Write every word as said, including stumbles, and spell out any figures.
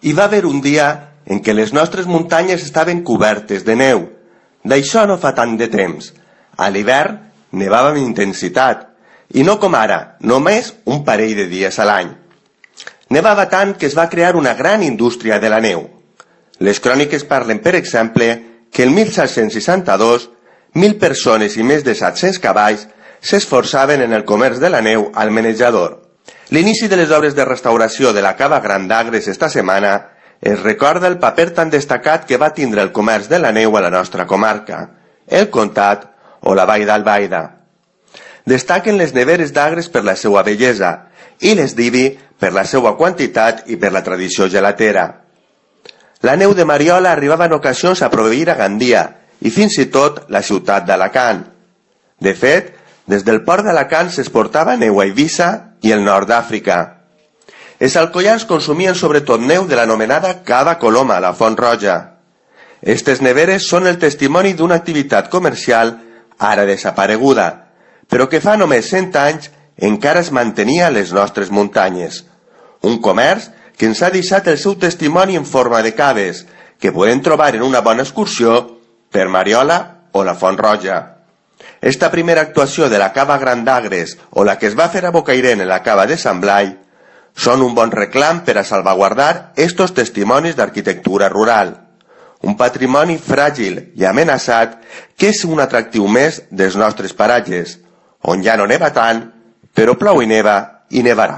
Hi va haver un dia en què les nostres muntanyes estaven cobertes de neu. D'això no fa tant de temps. A l'hivern nevava amb intensitat, i no com ara, només un parell de dies a l'any. Nevava tant que es va crear una gran indústria de la neu. Les cròniques parlen, per exemple, que el mil set-cents seixanta-dos, mil persones i més de set-cents cavalls s'esforçaven en el comerç de la neu al menjador. L'inici de les obres de restauració de la Cava Gran d'Agres esta setmana es recorda el paper tan destacat que va tindre el comerç de la neu a la nostra comarca, el Comtat o la Vall d'Albaida. Destaquen les neveres d'Agres per la seva bellesa i les d'Ibi per la seva quantitat i per la tradició gelatera. La neu de Mariola arribava en ocasions a proveir a Gandia i fins i tot la ciutat d'Alacant. De fet, des del port d'Alacant s'exportava neu a Eivissa i el nord d'Àfrica. Els alcoians consumien sobretot neu de l'anomenada Cava Coloma, la Font Roja. Estes neveres són el testimoni d'una activitat comercial ara desapareguda, però que fa només cent anys encara es mantenia a les nostres muntanyes. Un comerç que ens ha deixat el seu testimoni en forma de caves, que podem trobar en una bona excursió per Mariola o la Font Roja. Esta primera actuació de la Cava Gran d'Agres o la que es va fer a Bocairent en la Cava de Sant Blai són un bon reclam per a salvaguardar estos testimonis d'arquitectura rural, un patrimoni fràgil i amenaçat que és un atractiu més dels nostres paratges, on ja no neva tant, però plou i neva i nevarà.